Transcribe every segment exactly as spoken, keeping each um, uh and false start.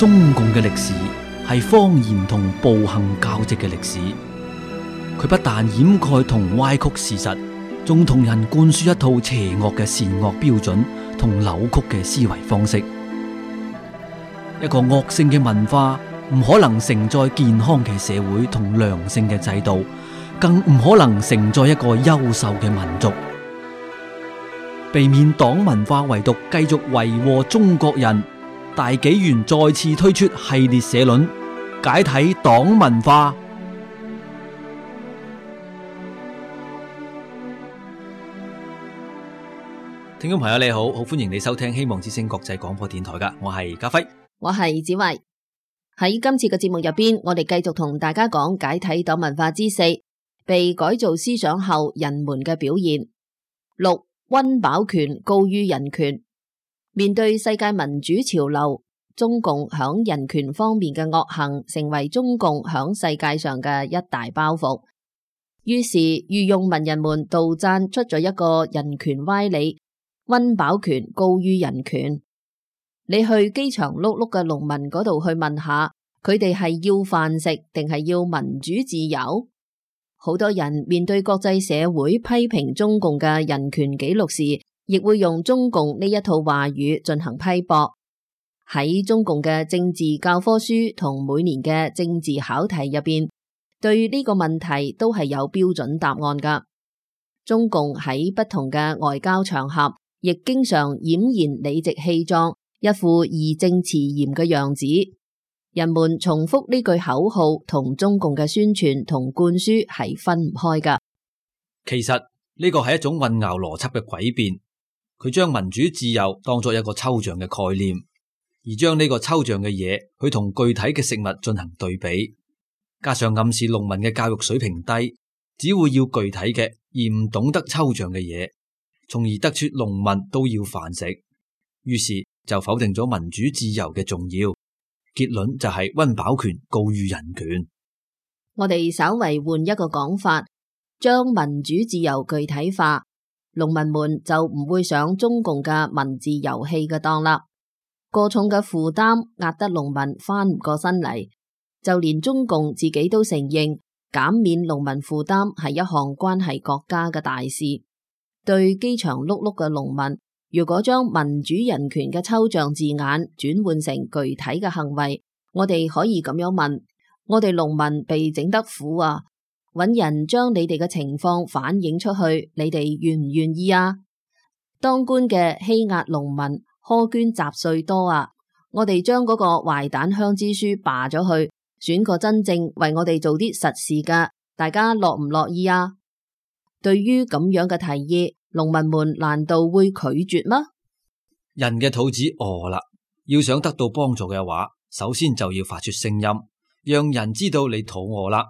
中共嘅歷史係謊言同暴行交織嘅歷史。佢不但掩蓋同歪曲事實，仲同人灌輸一套邪惡嘅善惡標準同扭曲嘅思維方式。一個惡性嘅文化唔可能承載健康嘅社會同良性嘅制度，更唔可能承載一個優秀嘅民族。避免黨文化遺毒繼續為禍中國人，大紀元再次推出系列社論，解體黨文化。聽眾朋友你好，好歡迎你收聽希望之聲國際廣播電台噶，我係家輝，我係子慧。喺今次嘅節目入邊，我哋繼續同大家講解體黨文化之四，被改造思想後人們嘅表現。六，溫飽權高於人權。面對世界民主潮流，中共響人權方面嘅惡行成為中共響世界上嘅一大包袱。於是御用文人們杜撰出咗一個人權歪理：溫飽權高於人權。你去飢腸轆轆嘅農民嗰度去問下，佢哋係要飯食定係要民主自由？好多人面對國際社會批評中共嘅人權紀錄時，亦會用中共呢一套話語進行批駁。喺中共嘅政治教科書同每年嘅政治考題入邊，對呢個問題都係有標準答案噶。中共喺不同嘅外交場合，亦經常儼然理直氣壯，一副義正辭嚴嘅樣子。人們重複呢句口號同中共嘅宣傳同灌輸係分唔開噶。其實呢個係一種混淆邏輯嘅詭辯，佢將民主自由當作一個抽象嘅概念，而將呢個抽象嘅嘢去同具體嘅食物進行對比，加上暗示農民嘅教育水平低，只會要具體嘅而唔懂得抽象嘅嘢，從而得出農民都要飯食，於是就否定咗民主自由嘅重要。結論就係溫飽權高於人權。我哋稍為換一個講法，將民主自由具體化，農民們就唔會上中共嘅文字遊戲嘅當啦。過重嘅負擔壓得農民翻唔過身嚟，就連中共自己都承認減免農民負擔係一項關係國家嘅大事。對飢腸轆轆嘅農民，如果將民主人權嘅抽象字眼轉換成具體嘅行為，我哋可以咁樣問：我哋農民被整得苦啊，搵人將你哋嘅情況反映出去，你哋願唔願意啊？當官嘅欺壓農民，苛捐雜稅多啊，我哋將嗰個壞蛋鄉支書罷咗去，選個真正為我哋做啲實事噶，大家樂唔樂意啊？對於咁樣嘅提議，農民們難道會拒絕嗎？人嘅肚子餓啦，要想得到幫助嘅話，首先就要發出聲音，讓人知道你肚餓啦。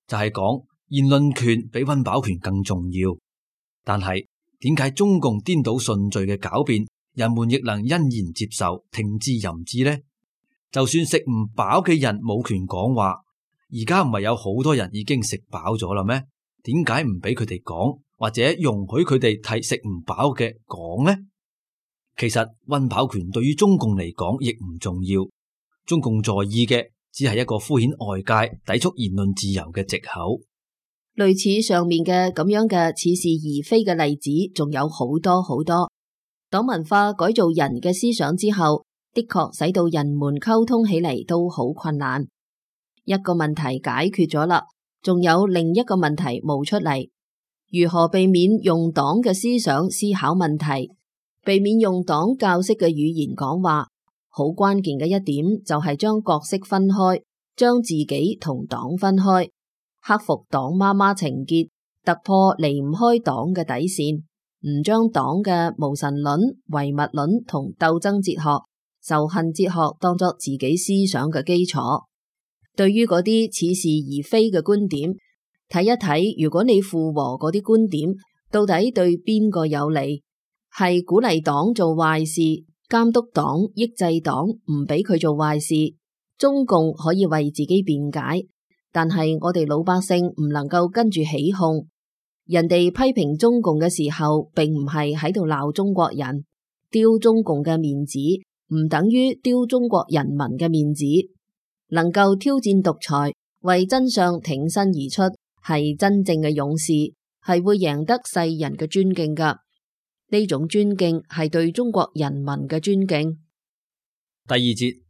就係講言論權比溫飽權更重要。但係點解中共顛倒順序嘅狡辯，人們亦能欣然接受，聽之任之呢？就算食唔飽嘅人冇權講話，而家唔係有好多人已經食飽咗啦咩？點解唔俾佢哋講，或者容許佢哋替食唔飽嘅講呢？其實溫飽權對於中共嚟講亦唔重要，中共在意嘅只係一個敷衍外界、抵觸言論自由嘅藉口。類似上面嘅咁樣嘅似是而非嘅例子，仲有好多好多。黨文化改造人嘅思想之後，的確使到人們溝通起嚟都好困難。一個問題解決咗啦，仲有另一個問題冒出嚟。如何避免用黨嘅思想思考問題，避免用黨教識嘅語言講話？好關鍵嘅一點就係將角色分開，將自己同黨分開，克服黨媽媽情結，突破離唔開黨嘅底線，唔將黨嘅無神論、唯物論同鬥爭哲學、仇恨哲學當作自己思想嘅基礎。對於嗰啲似是而非嘅觀點，睇一睇，如果你附和嗰啲觀點，到底對邊個有利？係鼓勵黨做壞事，監督黨、抑制黨，唔俾佢做壞事。中共可以為自己辯解，但係我哋老百姓唔能夠跟住起哄。人哋批評中共嘅時候，並唔係喺度鬧中國人，丟中共嘅面子，唔等於丟中國人民嘅面子。能夠挑戰獨裁，為真相挺身而出，係真正嘅勇士，係會贏得世人嘅尊敬噶。呢種尊敬係對中國人民嘅尊敬。第二節，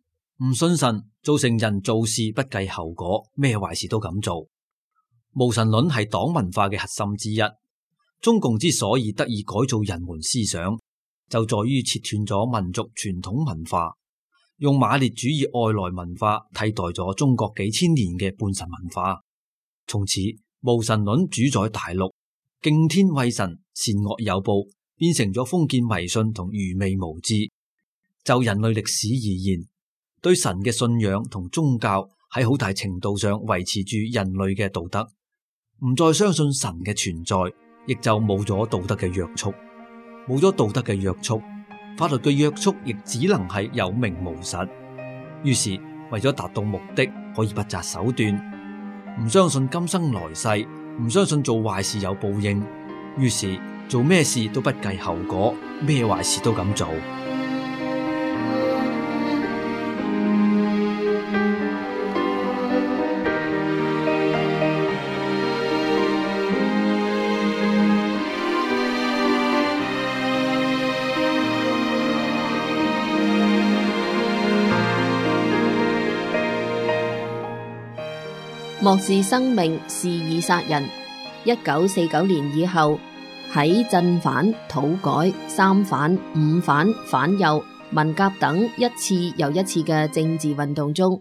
唔信神造成人做事不計後果，咩壞事都敢做。無神論係黨文化嘅核心之一。中共之所以得以改造人們思想，就在於切斷咗民族傳統文化，用馬列主義外來文化替代咗中國幾千年嘅半神文化。從此，無神論主宰大陸，敬天畏神，善惡有報，變成咗封建迷信同愚昧無知。就人類歷史而言，對神嘅信仰同宗教喺好大程度上維持住人類嘅道德。唔再相信神嘅存在，亦就冇咗道德嘅約束。冇咗道德嘅約束，法律嘅約束亦只能係有名無實。於是為咗達到目的，可以不擇手段，唔相信今生來世，唔相信做壞事有報應，於是做咩事都不計後果，咩壞事都敢做。漠視生命，肆意殺人。一九四九年以後，喺鎮反、土改、三反、五反、反右、文革等一次又一次嘅政治運動中，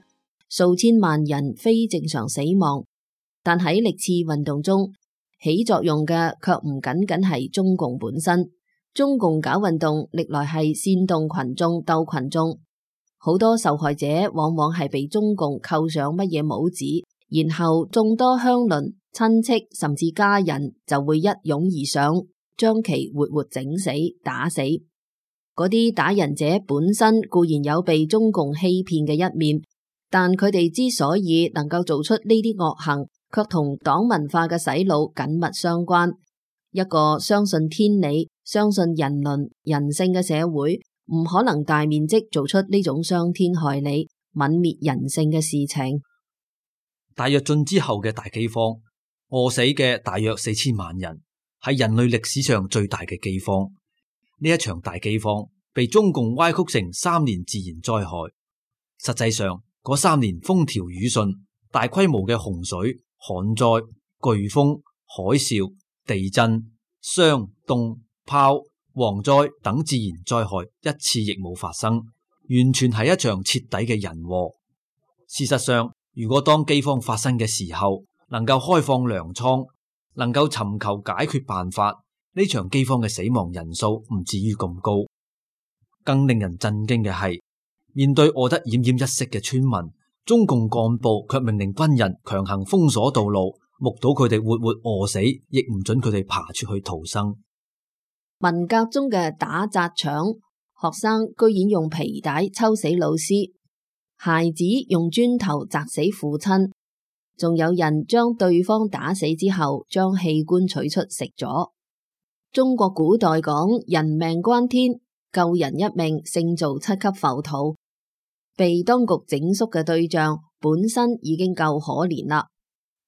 數千萬人非正常死亡。但喺歷次運動中起作用嘅卻唔僅僅係中共本身。中共搞運動歷來係煽動群眾鬥群眾，好多受害者往往係被中共扣上乜嘢帽子，然後眾多鄉鄰、親戚甚至家人就會一擁而上，將其活活整死、打死。嗰啲打人者本身固然有被中共欺騙嘅一面，但佢哋之所以能夠做出呢啲惡行，卻同黨文化嘅洗腦緊密相關。一個相信天理、相信人倫、人性嘅社會，唔可能大面積做出呢種傷天害理、泯滅人性嘅事情。大躍進之後嘅大饑荒，餓死嘅大約四千萬人，係人類歷史上最大嘅饑荒。呢一場大饑荒被中共歪曲成三年自然災害，實際上嗰三年風調雨順，大規模嘅洪水、旱災、颶風、海嘯、地震、霜凍、雹、蝗災等自然災害一次亦冇發生，完全係一場徹底嘅人禍。事實上，如果當饑荒發生嘅時候，能夠開放糧倉，能夠尋求解決辦法，呢場饑荒嘅死亡人數唔至於咁高。更令人震驚嘅係，面對餓得奄奄一息嘅村民，中共幹部卻命令軍人強行封鎖道路，目睹佢哋活活餓死，亦唔准佢哋爬出去逃生。文革中嘅打砸搶，學生居然用皮帶抽死老師，孩子用磚頭砸死父親，仲有人將對方打死之後，將器官取出食咗。中國古代講人命關天，救人一命勝造七級浮屠。被當局整肅嘅對象本身已經夠可憐啦，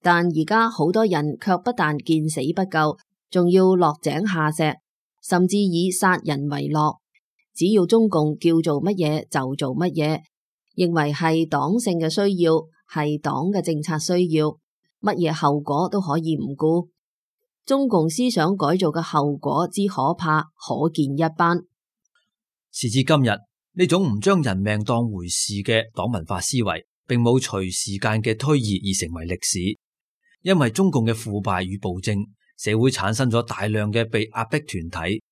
但而家好多人卻不但見死不救，仲要落井下石，甚至以殺人為樂。只要中共叫做乜嘢就做乜嘢，認為係黨性嘅需要，係黨嘅政策需要，乜嘢後果都可以唔顧。中共思想改造嘅後果之可怕，可見一斑。時至今日，呢種唔將人命當回事嘅黨文化思維，並冇隨時間嘅推移而成為歷史。因為中共嘅腐敗與暴政，社會產生咗大量嘅被壓迫團體，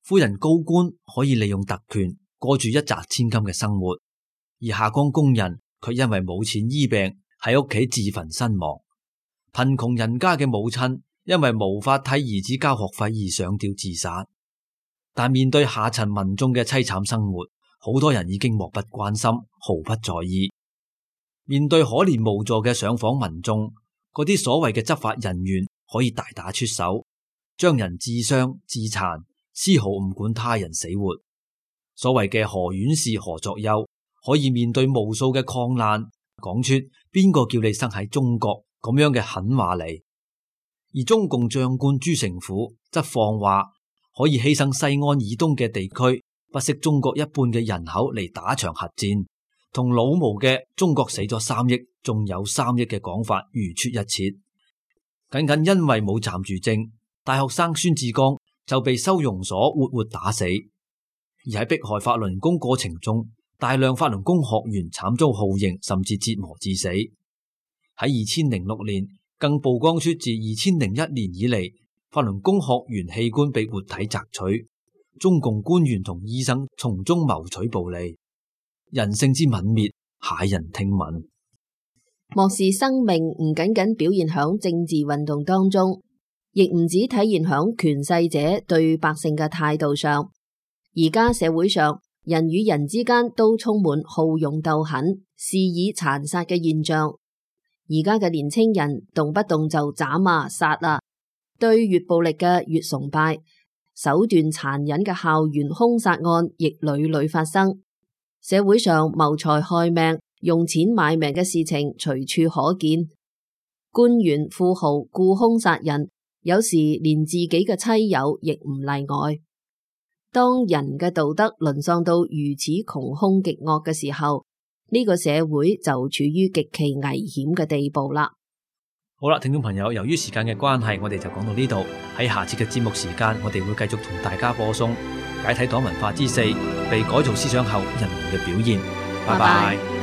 富人高官可以利用特權過住一擲千金嘅生活，而下崗工人卻因為冇錢醫病，喺屋企自焚身亡。貧窮人家嘅母親因為無法替兒子交學費而上吊自殺。但面對下層民眾嘅淒慘生活，好多人已經漠不關心，毫不在意。面對可憐無助嘅上訪民眾，嗰啲所謂嘅執法人員可以大打出手，將人自傷自殘，絲毫唔管他人死活。所謂嘅何阮氏何作丘，可以面對無數嘅抗難，講出邊個叫你生喺中國咁樣嘅狠話嚟。而中共將官朱成甫則放話可以犧牲西安以東嘅地區，不惜中國一半嘅人口嚟打場核戰，同老毛嘅中國死咗三億，仲有三億嘅講法如出一轍。僅僅因為冇站住正，大學生孫志剛就被收容所活活打死。而喺迫害法輪功過程中，大量法輪功學員慘遭酷刑，甚至折磨致死。喺二千零六年，更曝光出自二千零一年以嚟，法輪功學員器官被活體摘取，中共官員同醫生從中謀取暴利，人性之泯滅，駭人聽聞。漠視生命唔僅僅表現響政治運動當中，亦唔止體現響權勢者對百姓嘅態度上。而家社會上，人與人之間都充滿好勇鬥狠、肆意殘殺嘅現象。而家嘅年輕人動不動就斬啊殺啊，對越暴力嘅越崇拜，手段殘忍嘅校園兇殺案亦屢屢發生。社會上謀財害命、用錢買命嘅事情隨處可見，官員富豪雇兇殺人，有時連自己嘅妻友亦唔例外。當人嘅道德淪喪到如此窮兇極惡嘅時候，呢個社會就處於極其危險嘅地步啦。好啦，聽眾朋友，由於時間嘅關係，我哋就講到呢度。喺下次嘅節目時間，我哋會繼續同大家播送解體黨文化之四，被改造思想後人們嘅表現。拜拜。